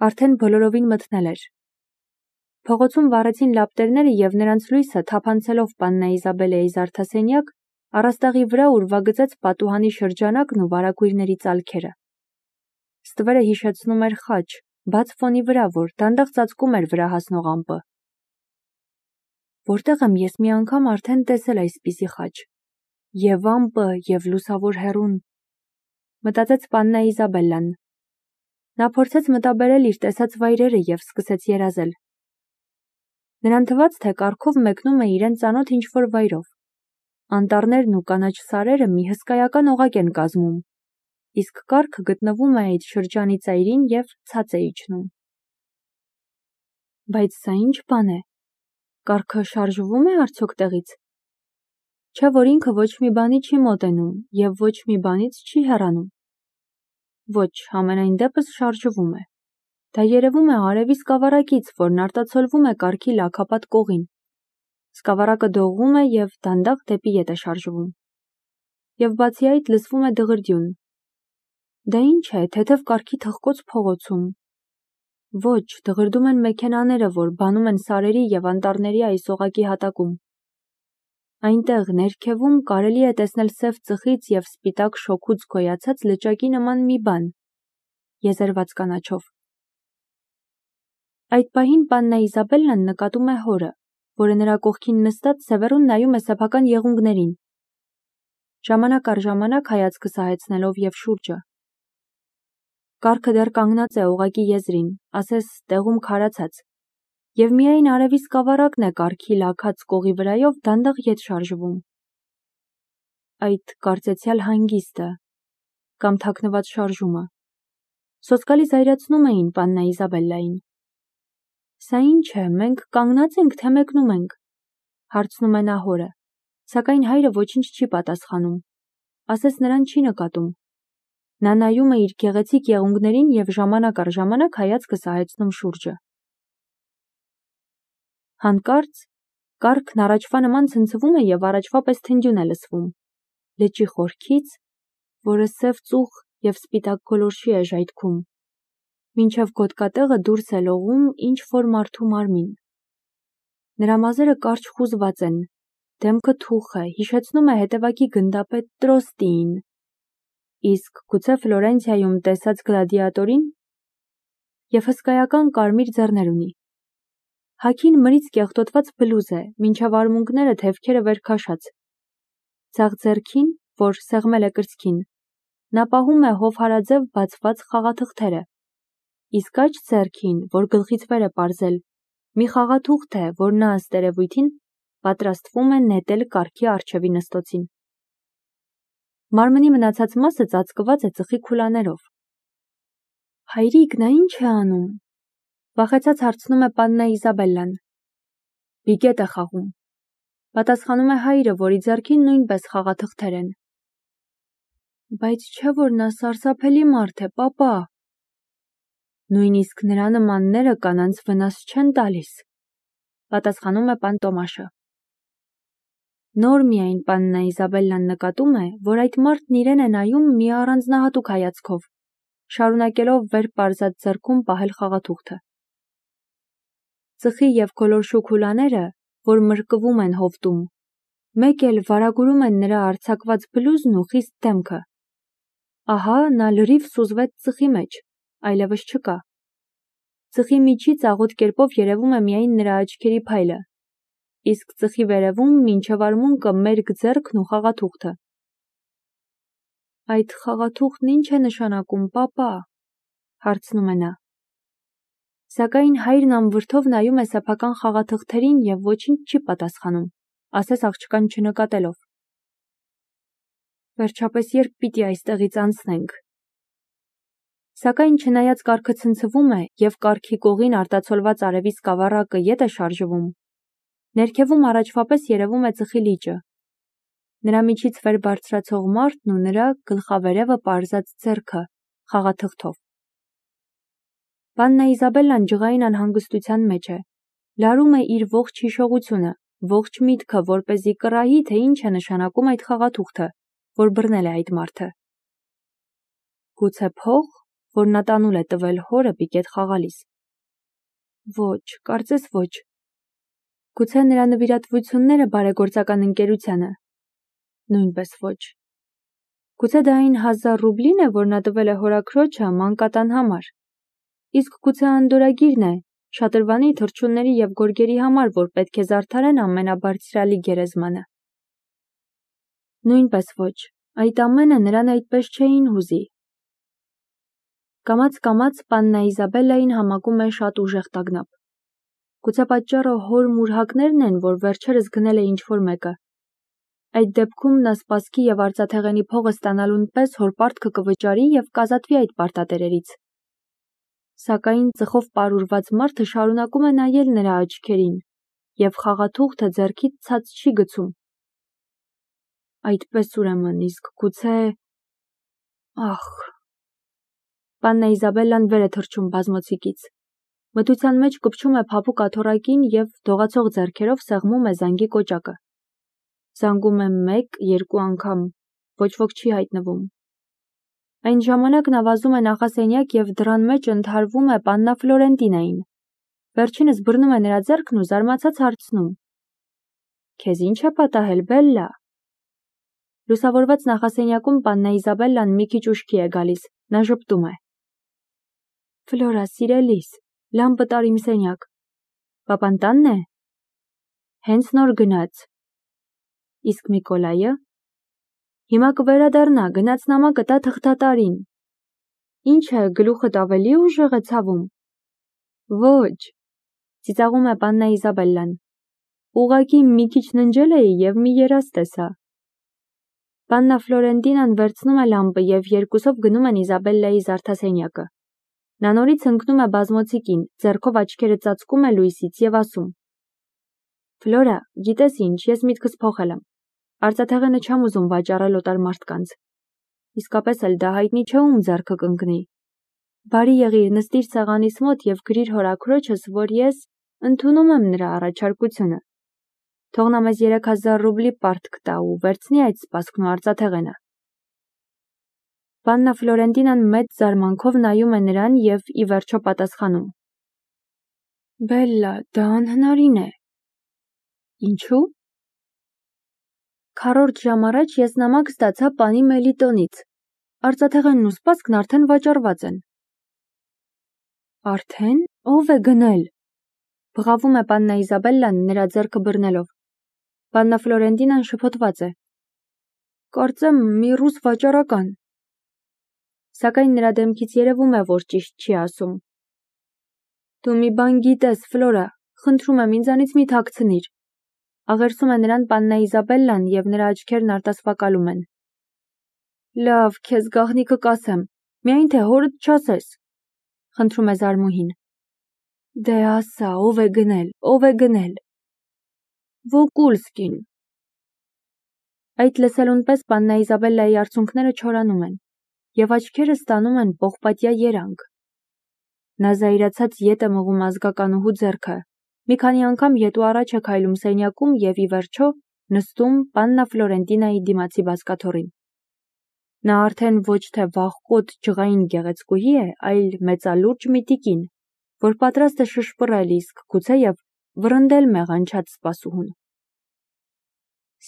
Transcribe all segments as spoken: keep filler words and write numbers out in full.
Արդեն բոլորովին մթնել էր։ Փողոցում վառեցին լապտերները և նրանց լույսը թափանցելով պաննա Իզաբելեի զարդասենյակ, առաստաղի վրա ուրվագծեց պատուհանի շրջանակն ու վարագույրների ծալքերը։ Ստվերը հիշեցնում էր խաչ, բաց ֆոնի վրա, որ դանդաղ ծածկում էր վրա հասնող ամպը։ Որտեղ եմ ես մի անգամ արդեն տեսել այսպիսի խաչ։ Եվ ամպը, և լուսավոր հեռուն, մտածեց պաննա Իզաբելլան։ Նա փորձեց մտաբերել իր տեսած վայրերը և սկսեց երազել։ Նրան թվաց, թե կառքով մեկնում է իրեն ծանոթ ինչ-որ վայրով։ Անտառներն ու կանաչ սարերը մի հսկայական օղակ են կազմում, իսկ կառքը գտնվում է այդ շրջանի ծայրին և ցած է իջնում։ Բայց սա ինչ բան է։ Կառքը շարժվում է արդյոք տեղից։ Չէ՞ որ ինքը ոչ մի բանի չի մոտենում և ոչ մի բանից չի հեռանում։ Ոչ, համենայն դեպս շարժվում է։ Դա երևում է արևի սկավառակից, որն արտացոլվում է կառքի լաքապատ կողին։ Սկավառակը դողում է և դանդաղ դեպի ետ է շարժվում։ Եվ բացի այդ լսվում է դղրդյուն։ Դա ինչ է, թեթև կառքի թխկոց փողոցում։ Ոչ, դղրդում են մեքենաները, որ բանում են սարերի և անտառների այս օղակի հատակում։ Այնտեղ ներքևում կարելի է տեսնել սև ծխից և սպիտակ շոգուց գոյացած լճակի նման մի բան, եզերված կանաչով։ Այդ պահին պաննա Իզաբելլան նկատում է հորը, որը նրա կողքին նստած սևեռուն նայում է սեփական եղունգներին, ժամանակ առ ժամանակ հայացքը սահեցնելով և շուրջը։ Կառքը դեռ կանգնած է օղակի եզրին, ասես տեղում քարացած, և միայն արևի սկավառակն է կառքի լաքած կողի վրայով դանդաղ ետ շարժվում։ Այդ կարծեցյալ հանգիստը կամ թաքնված շարժումը սոսկալի զայրացնում էին պաննա Իզաբելլային։ Սա ինչ է, մենք կանգնա՞ծ ենք, թե մեկնում ենք, հարցնում է նա հորը, սակայն հայրը ոչինչ չի պատասխանում, ասես նրան չի նկատում։ Նա նայում է իր գեղեցիկ եղունգներին և ժամանակ առ ժամանակ հայացքը սահեցնում շուրջը։ Հանկարծ կառքն առաջվա նման ցնցվում է և առաջվա պես թնդյուն է լսվում։ Լճի խորքից, որը սև ծուխ և սպիտակ գոլորշի է ժայթքում, մինչև գոտկատեղը դուրս է լողում ինչ-որ մարդու մարմին։ Նրա մազերը կարճ խուզված են, դեմքը թուխ է, հիշեցնում է հետևակի գնդապետ Տրոստիին։ Իսկ գուցե Ֆլորենցիայում տեսած գլադիատորին։ Եվ հսկայական կարմիր ձեռներ ունի։ Հագին մրից կեղտոտված բլուզ է, մինչև արմունկները թևքերը վեր քաշած։ Ձախ ձեռքին, որ սեղմել է կրծքին, նա պահում է հովհարաձև բացված խաղաթղթերը, իսկ աջ ձեռքին, որ գլխից վեր է պարզել, մի խաղաթուղթ է, որ նա ըստ երևույթին պատրաստվում է նետել կառքի առջևի նստոցին։ Մարմնի մնացած մասը ծածկված է ծխի քուլաներով։ Հայրիկ, նա ինչ է անում, վախեցած հարցնում է պաննա Իզաբելլան։ Բիգետ է խաղում, պատասխանում է հայրը, որի ձեռքին նույնպես խաղաթղթեր են։ Բայց չէ՞ որ նա սարսափելի մարդ է, պապա։ Նույնիսկ նրա նմանները կանանց վնաս չեն տալիս, պատասխանում է պան Տոմաշը։ Նոր միայն պաննա Իզաբելլան նկատում է, որ այդ մարդն իրեն է նայում մի առանձնահատուկ հայացքով, շարունակելով վեր պարզած ձեռքում պահել խաղաթուղթը։ Ծխի և գոլորշու քուլաները, որ մրկվում են հովտում, մեկ էլ վարագուրում են նրա արձակված բլուզն ու խիստ դեմքը։ Ահա նա լրիվ սուզվեց ծխի մեջ, այլևս չկա։ Ծխի միջից աղոտ կերպով երևում է միայն նրա աչքերի փայլը, իսկ ծխի վերևում մինչև արմունկը մերկ ձեռքն ու խաղաթուղթը։ Այդ խաղաթուղթն ինչ է նշանակում, պապա, հարցնում է նա։ Սակայն հայրն անվրդով նայում է սեփական խաղաթղթերին և ոչինչ չի պատասխանում, ասես աղջկան չնկատելով։ Վերջապես երբ պիտի այստեղից անցնենք։ Սակայն չնայած կառքը ցնցվում է և կառքի կողին արտացոլված արևի սկավառակը ետ է շարժվում, ներքևում առաջվա պես երևում է ծխի լիճը, նրա միջից վեր բարձրացող մարդն ու նրա գլխավերևը պարզած ձեռքը խաղաթղթով։ Պաննա Իզաբելլան ջղային անհանգստության մեջ է, լարում է իր ողջ հիշողությունը, ողջ միտքը, որպեսզի կռահի, թե ինչ է նշանակում այդ խաղաթուղթը, որ բռնել է այդ մարդը։ Գուցե փող, որ նա տանուլ է տվել հորը պիկետ խաղալիս։ Ոչ, կարծես ոչ։ Գուցե նրա նվիրատվությունները բարեգործական ընկերությանը։ Նույնպես ոչ։ Գուցե դա այն հազար ռուբլին է, որ նա տվել է հորաքրոջը մանկատան համար։ Իսկ գուցե անդորագիրն է, շատրվանի, թռչունների և գորգերի համար, որ պետք է զարդարեն ամենաբարձրալի գերեզմանը։ Նույնպես ոչ, այդ ամենը նրան այդպես չէին հուզի։ Կամաց-կամաց պաննա Իզաբելլային համակում է շատ ուժեղ տագնապ։ Գուցե պատճառը հոր մուրհակներն են, որ վերջերս գնել է ինչ-որ մեկը։ Այդ դեպքում նա սպասքի և արծաթեղենի փողը ստանալուն պես հոր պարտքը կվճարի և կազատվի այդ պարտատերերից։ Սակայն ծխով պարուրված մարդը շարունակում է նայել նրա աչքերին, և խաղաթուղթը ձեռքից ցած չի գցում։ Այդպես ուրեմն, իսկ գուցե… Ախ… Պաննա Իզաբելլան վեր է թռչում բազմոցիկից։ Մթության մեջ կպչում է փափուկ աթոռակին և դողացող ձեռքերով սեղմում է զանգի կոճակը։ Զանգում է մեկ, երկու անգամ, ոչ ոք չի հայտնվում։ Այն ժամանակ նա վազում է նախասենյակ և դռան մեջ ընդհարվում է պաննա Ֆլորենտինային։ Վերջինս բռնում է նրա ձեռքն ու զարմացած հարցնում. Քեզ ինչ է պատահել, Բելլա։ Լուսավորված նախասենյակում պաննա Իզաբելլան մի քիչ ուշքի է գալիս, նա ժպտում է. Ֆլորա, սիրելիս, լամպը տար իմ սենյակ։ Պապան տանն է։ Հենց նոր գնաց։ Իսկ Միկոլայը։ Հիմա կվերադառնա, գնաց նամակը տա թղթատարին։ Ինչ է, գլուխդ ավելի ուժեղ է ցավում։ Ոչ, ծիծաղում է պաննա Իզաբելլան։ Ուղղակի մի քիչ ննջել էի և մի երազ տեսա։ Պաննա Ֆլորենտինան վերցնում է լամպը և երկուսով գնում են Իզաբելլայի զարդասենյակը։ Նա նորից ընկնում է բազմոցիկին, ձեռքով աչքերը ծածկում է լույսից և ասում. Ֆլորա, գիտես ինչ, ես միտքս փոխել եմ։ Արծաթեղենը չեմ ուզում վաճառել օտար մարդկանց։ Իսկապես էլ դա հայտնի չէ ում ձեռքը կընկնի։ Բարի եղիր, նստիր սեղանիս մոտ և գրիր հորաքրոջս, որ ես ընդունում եմ նրա առաջարկությունը։ Թող նա մեզ երեք հազար ռուբլի պարտք տա ու վերցնի այդ սպասքն ու արծաթեղենը։ Պաննա Ֆլորենտինան մեծ զարմանքով նայում է նրան և ի վերջո պատասխանում. Բելլա, դա անհնարին է։ Ինչու՞։ Քառորդ ժամ առաջ ես նամակ ստացա պանի Մելիտոնից։ Արծաթեղենն ու սպասքն արդեն վաճառված են։ Արդեն, ով է գնել։ Բղավում է պաննա Իզաբելլան նրա ձեռքը բռնելով։ Պաննա Ֆլորենտինան շփոթված է։ Կարծեմ մի ռուս վաճառական։ Սակայն նրա դեմքից երևում է, որ ճիշտ չի ասում։ Դու մի բան գիտես, Ֆլորա, խնդրում եմ ինձանից մի թաքցնիր։ Աղերսում է նրան պաննա Իզաբելլան և նրա աչքերն արտասվակալում են։ Լավ, քեզ գաղտնիքը կասեմ, միայն թե հորդ չասես, խնդրում է զարմուհին։ Դե ասա, ով է գնել, ով է գնել։ Վոկուլսկին։ Այդ լսելուն պես պաննա Իզաբելլայի արցունքները չորանում են, և աչքերը ստանում են պողպատյա երանգ։ Նա զայրացած ետ է մղում ազգականուհու ձեռքը, մի քանի անգամ ետու առաջ է քայլում սենյակում և ի վերջո նստում պաննա Ֆլորենտինայի դիմացի բազկաթոռին։ Նա արդեն ոչ թե վախկոտ ջղային գեղեցկուհի է, այլ մեծալուրջ մի տիկին, որ պատրաստ է շշպռել, իսկ գուցեև վռնդել մեղանչած սպասուհուն։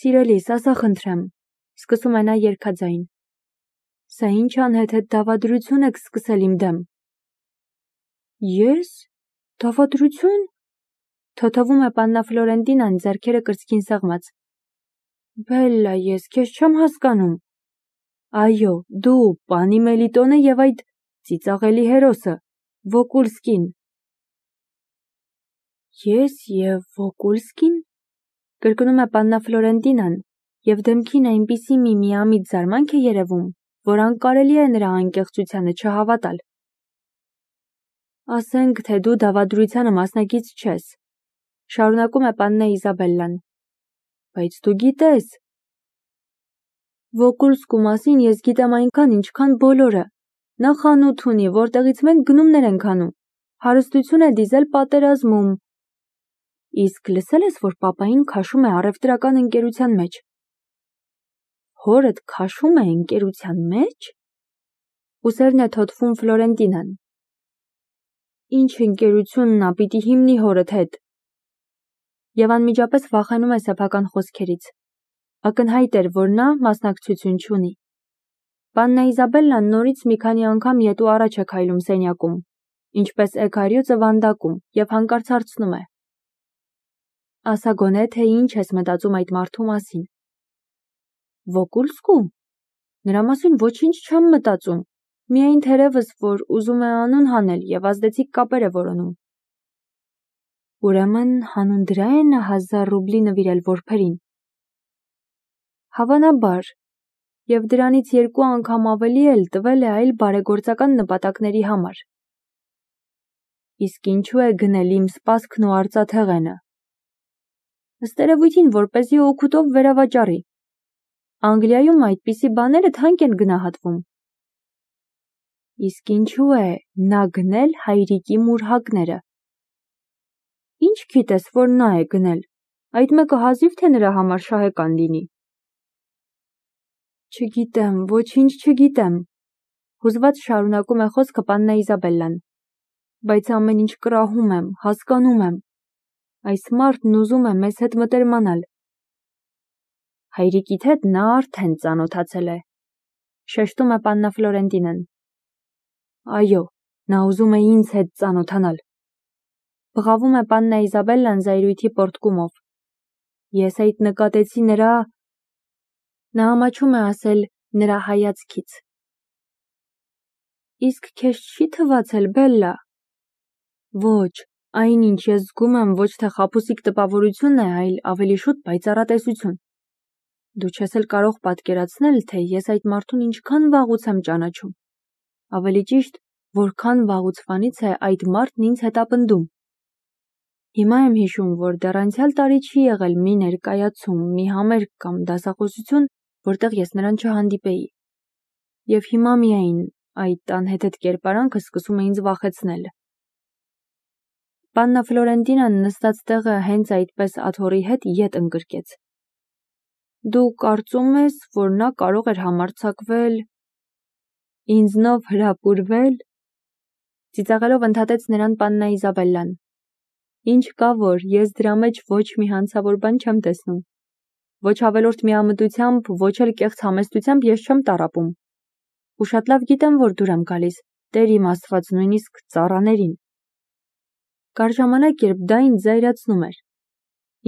Սիրելիս, ասա խնդրեմ, սկսում է նա երգաձայն։ Սա ինչ անհեթեթ դավադրություն եք սկսել իմ դեմ։ Ես։ Դավադրություն։ Թոթվում է պաննա Ֆլորենտինան ձեռքերը կրծքին սեղմած։ Բելլա, ես քեզ չեմ հասկանում։ Այո, դու, պանի Մելիտոնը և այդ ծիծաղելի հերոսը, Վոկուլսկին։ Ես և Վոկուլսկին։ Կրկնում է պաննա Ֆլորենտինան, և դեմքին այնպիսի մի միամիտ զարմանք է երևում, որ անկարելի է նրա անկեղծությանը չհավատալ։ Ասենք, թե դու դավադրությանը մասնակից չես, շարունակում է պաննա Իզաբելլան։ Բայց դու գիտես։ Վոկուլսկու մասին ես գիտեմ այնքան, ինչքան բոլորը։ Նա խանութ ունի, որտեղից մենք գնումներ ենք անում։ Հարստություն է դիզել պատերազմում։ Իսկ լսել ես, որ պապային քաշում է առևտրական ընկերության մեջ։ Հորդ քաշում է ընկերության մեջ։ Ուսերն է թոթվում Ֆլորենտինան։ Ինչ ընկերությունն ա պիտի հիմնի հորդ հետ։ Եվ անմիջապես վախենում է սեփական խոսքերից։ Ակնհայտ էր, որ նա մասնակցություն չունի։ Պաննա Իզաբելլան նորից մի քանի անգամ ետու առաջ է քայլում սենյակում, ինչպես էգարյուծը վանդակում, և հանկարծ հարցնում է. Ասա գոնե, թե ինչ ես մտածում այդ մարդու մասին։ Վոկուլսկու։ Նրա մասին ոչինչ չեմ մտածում, միայն թերևս, որ ուզում է անուն հանել և ազդեցիկ կապեր է որոնում։ Ուրեմն հանուն դրա է նա հազար ռուբլի նվիրել որբերին։ Հավանաբար, և դրանից երկու անգամ ավելի էլ տվել է այլ բարեգործական նպատակների համար։ Իսկ ինչու է գնել իմ սպասքն ու արծաթեղենը։ Ըստ երևույթին, որպեսզի օգուտով վերավաճառի։ Անգլիայում այդպիսի բաները թանկ են գնահատվում։ Իսկ ինչու է նա գնել հայրիկի մուրհակները։ Ինչ գիտես, որ նա է գնել, այդ մեկը հազիվ թե նրա համար շահեկան լինի։ Չգիտեմ, ոչինչ չգիտեմ, հուզված շարունակում է խոսքը Պաննա Իզաբելլան, բայց ամեն ինչ կրահում եմ, հասկանում եմ։ Այս մարդն ուզում է մեզ հետ մտերմանալ։ Հայրիկիդ հետ նա արդեն ծանոթացել է, շեշտում է Պաննա Ֆլորենտինան։ Այո, նա ուզում է ինձ հետ ծանոթանալ։ Բղավում է Պաննա Իզաբելլան զայրույթի պոռթկումով։ Ես այդ նկատեցի նրա… Նա ամաչում է ասել նրա հայացքից։ Իսկ քեզ չի թվացել, Բելլա։ Ոչ, այնինչ ես զգում եմ ոչ թե խաբուսիկ տպավորություն է, այլ ավելի շուտ պայծառատեսություն։ Դու չես էլ կարող պատկերացնել, թե ես այդ մարդուն ինչքան վաղուց եմ ճանաչում։ Ավելի ճիշտ, որքան վաղուցվանից է այդ մարդն ինձ հետապնդում։ Հիմա եմ հիշում, որ դեռ անցյալ տարի չի եղել մի ներկայացում, մի համերգ կամ դասախոսություն, որտեղ ես նրան չհանդիպեի։ Եվ հիմա միայն այդ անհեթեթ կերպարանքը սկսում է ինձ վախեցնել։ Պաննա Ֆլորենտինան նստած տեղը հենց այդպես աթոռի հետ ետ ընկրկեց։ Դու կարծում ես, որ նա կարող էր համարձակվել… ինձնով հրապուրվե՞լ։ Ծիծաղելով ընդհատեց նրան Պաննա Իզաբելլան։ Ինչ կա, որ ես դրա մեջ ոչ մի հանցավոր բան չեմ տեսնում։ Ոչ ավելորդ միամտությամբ, ոչ էլ կեղծ համեստությամբ ես չեմ տառապում։ Ու շատ լավ գիտեմ, որ դուր եմ գալիս, Տեր իմ Աստված, նույնիսկ ծառաներին։ Կար ժամանակ, երբ դա ինձ զայրացնում էր։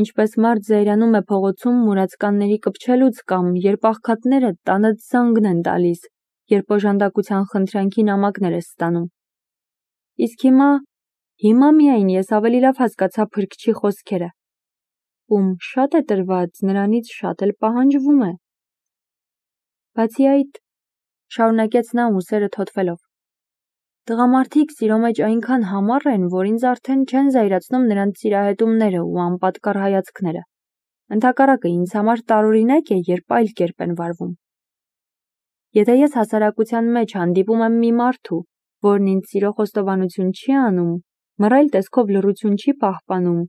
Ինչպես մարդ զայրանում է փողոցում մուրացկանների կպչելուց կամ երբ աղքատները տանդ զանգն են տալիս, երբ օժանդակության խնդրանքի նամակներ ես ստանում։ Իսկ հիմա… հիմա միայն ես ավելի լավ հասկացա փրկչի խոսքերը։ Ում շատ է տրված, նրանից շատ էլ պահանջվում է։ Բացի այդ, շարունակեց նա ուսերը թոթվելով, տղամարդիկ սիրո մեջ այնքան համառ են, որ ինձ արդեն չեն զայրացնում նրանց սիրահետումները ու անպատկառ հայացքները։ Ընդհակառակը ինձ համար տարօրինակ է, երբ այլ կերպ են վարվում։ Եթե ես հասարակության մեջ հանդիպում եմ մի մարդու, որն ինձ սիրո խոստովանություն չի անում, մռայլ տեսքով լռություն չի պահպանում,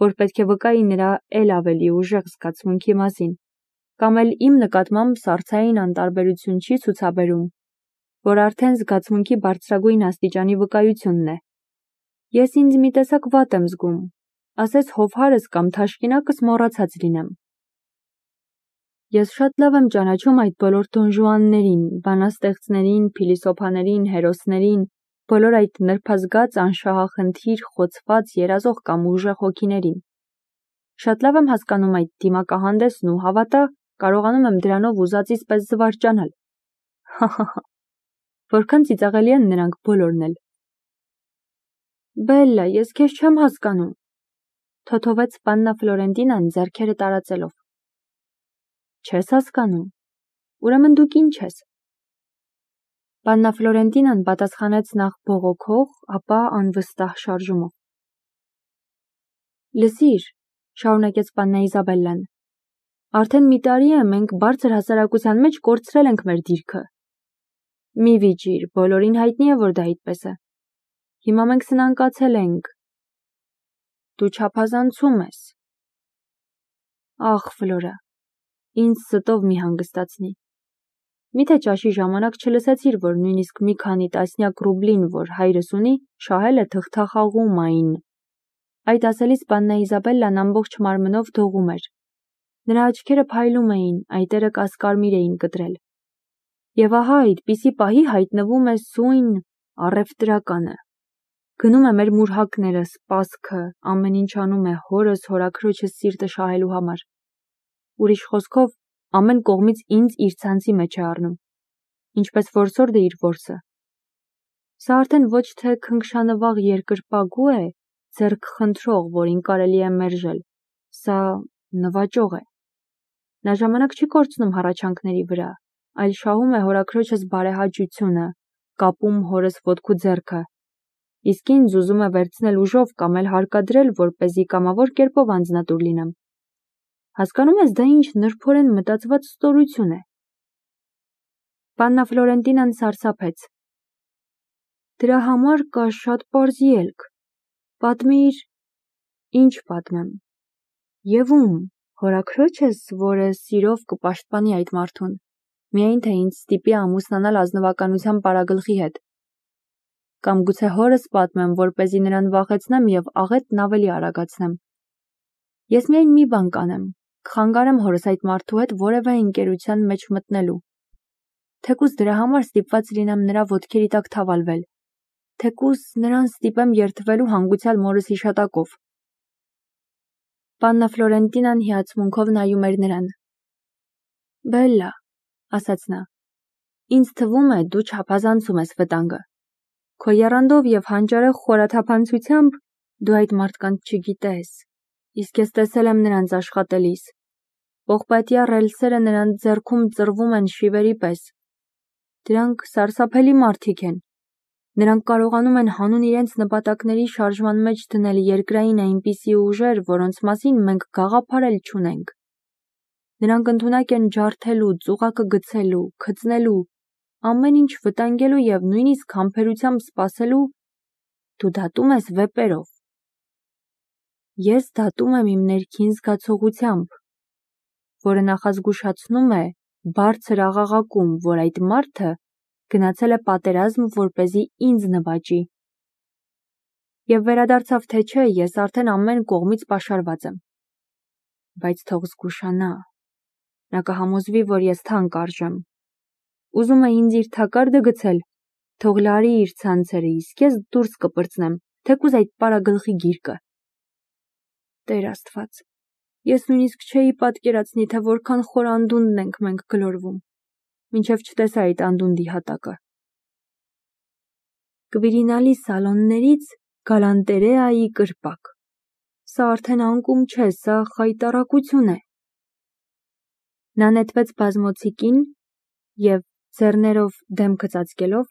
որ պետք է վկայի նրա էլ ավելի ուժեղ զգացմունքի մասին, կամ էլ իմ նկատմամբ սառցային անտարբերություն չի ցուցաբերում, որ արդեն զգացմունքի բարձրագույն աստիճանի վկայությունն է։ Ես ինձ մի տեսակ վատ եմ զգում, ասես հովհարս կամ թաշկինակս մոռացած լինեմ։ Ես շատ լավ եմ ճանաչում այդ բոլոր դոնժուաններին, բանաստեղծներին, փիլիսոփաներին, հերոսներին, բոլոր այդ նրբազգաց, անշահախնդիր, խոցված, երազող կամ ուժեղ հոգիներին։ Շատ լավ եմ հասկանում այդ դիմակահանդեսն ու հավատա, կարողանում եմ դրանով ուզածիս պես զվարճանալ։ Հահահա։ Որքան ծիծաղելի են նրանք բոլորն էլ։ Բելլա, ես քեզ չեմ հասկանում, թոթովեց Պաննա Ֆլորենտինան ձեռքերը տարածելով։ Չես հասկանում։ Ուրեմն դուք ինչ ես։ Պաննա Ֆլորենտինան պատասխանեց նախ բողոքող, ապա անվստահ շարժումով։ Լսիր, շարունակեց Պաննա Իզաբելլան, արդեն մի տարի է մենք բարձր հասարակության մեջ կորցրել ենք մեր դիրքը։ Մի վիճիր, բոլորին հայտնի է, որ դա այդպես է։ Հիմա մենք սնանկացել ենք։ Դու չափազանցում ես։ Ախ, Ֆլորա, ինձ ստով մի հանգստացնի։ Միթե ճաշի ժամանակ չլսեցիր, որ նույնիսկ մի քանի տասնյակ ռուբլին, որ հայրս ունի, շահել է թղթախաղումային։ Այդ ասելիս Բաննա Իզաբելլան ամբողջ մարմնով դողում էր։ Նրա աչքերը փայլում էին, այտերը կասկարմիր էին կտրել։ Եվ ահա այդպիսի պահի հայտնվում է սույն առևտրականը։ Գնում է մեր մուրհակները, սպասքը, ամեն ինչ անում է հորս, հորաքրոջս սիրտը շահելու համար։ Ուրիշ խոսքով, ամեն կողմից ինձ իր ցանցի մեջ է առնում, ինչպես որսորդը իր որսը։ Սա արդեն ոչ թե քնքշանվաղ երկրպագու է, ձեռք խնդրող, որին կարելի է մերժել, սա նվաճող է։ Նա ժամանակ չի կորցնում հառաչանքների վրա, այլ շահում է հորաքրոջս բարեհաճությունը, կապում հորս ոտքու ձեռքը, իսկ ինձ ուզում է վերցնել ուժով կամ էլ հարկադրել, որպեսզի կամավոր կերպով անձնատուր լինեմ։ Հասկանում ես, դա ինչ նրբորեն մտածված ստորություն է։ Պաննա Ֆլորենտինան սարսափեց։ Դրա համար կա շատ պարզ ելք։ Պատմիր, ինչ պատմեմ։ Եվ ում, հորաքրոջս, որը սիրով կպաշտպանի այդ մարդուն, միայն թե ինձ ստիպի ամուսնանալ ազնվականության պարագլխի հետ։ Կամ գուցե հորս պատմեմ, որպեսզի նրան վախեցնեմ և աղետն ավելի արագացնեմ։ Ես միայն մի բան կանեմ, կխանգարեմ հորս այդ մարդու հետ որևէ ընկերության մեջ մտնելու։ Թեկուզ դրա համար ստիպված լինեմ նրա ոտքերի տակ թավալվել, թեկուզ նրան ստիպեմ երդվելու հանգուցյալ մորս հիշատակով։ Պաննա Ֆլորենտինան հիացմունքով նայում էր նրան։ Բելլա, ասաց նա, ինձ թվում է դու չափազանցում ես վտանգը։ Քո եռանդով և հանճարեղ խորաթափանցությամբ դու այդ մարդկանց չգիտես, իսկ ես տեսել եմ նրանց աշխատելիս։ Պողպատյա ռելսերը նրանց ձեռքում ծռվում են շիվերի պես։ Դրանք սարսափելի մարդիկ են։ Նրանք կարողանում են հանուն իրենց նպատակների շարժման մեջ դնել երկրային այնպիսի ուժեր, որոնց մասին մենք գաղափարել չունենք։ Նրանք ընդունակ են ջարդելու, ծուղակը գցելու, քծնելու, ամեն ինչ վտանգելու և նույնիսկ համբերությամբ սպասելու։ Դու դատում ես վեպերով։ Ես դատում եմ իմ ներքին զգացողությամբ, որը նախազգուշացնում է բարձր աղաղակում, որ այդ մարդը գնացել է պատերազմ, որպեսզի ինձ նվաճի։ Եվ վերադարձավ թե չէ, ես արդեն ամեն կողմից պաշարված եմ։ Բայց թող զգուշանա։ Նա կհամոզվի, որ ես թանկ արժեմ։ Ուզում է ինձ իր թակարդը գցել, թող լարի իր ցանցերը, իսկ ես դուրս կպրծնեմ, թեկուզ այդ պարագլխի գիրկը։ Տեր Աստված, ես նույնիսկ չէի պատկերացնի, թե որքան խոր անդունդն ենք մենք գլորվում, մինչև չտեսա այդ անդունդի հատակը։ Կվիրինալի սալոններից գալանտերեայի կրպակ։ Սա արդեն անկում չէ, սա խայտառակություն է։ Նա նետվեց բազմոցիկին և, ձեռներով դեմքը ծածկելով,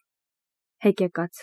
հեկեկաց։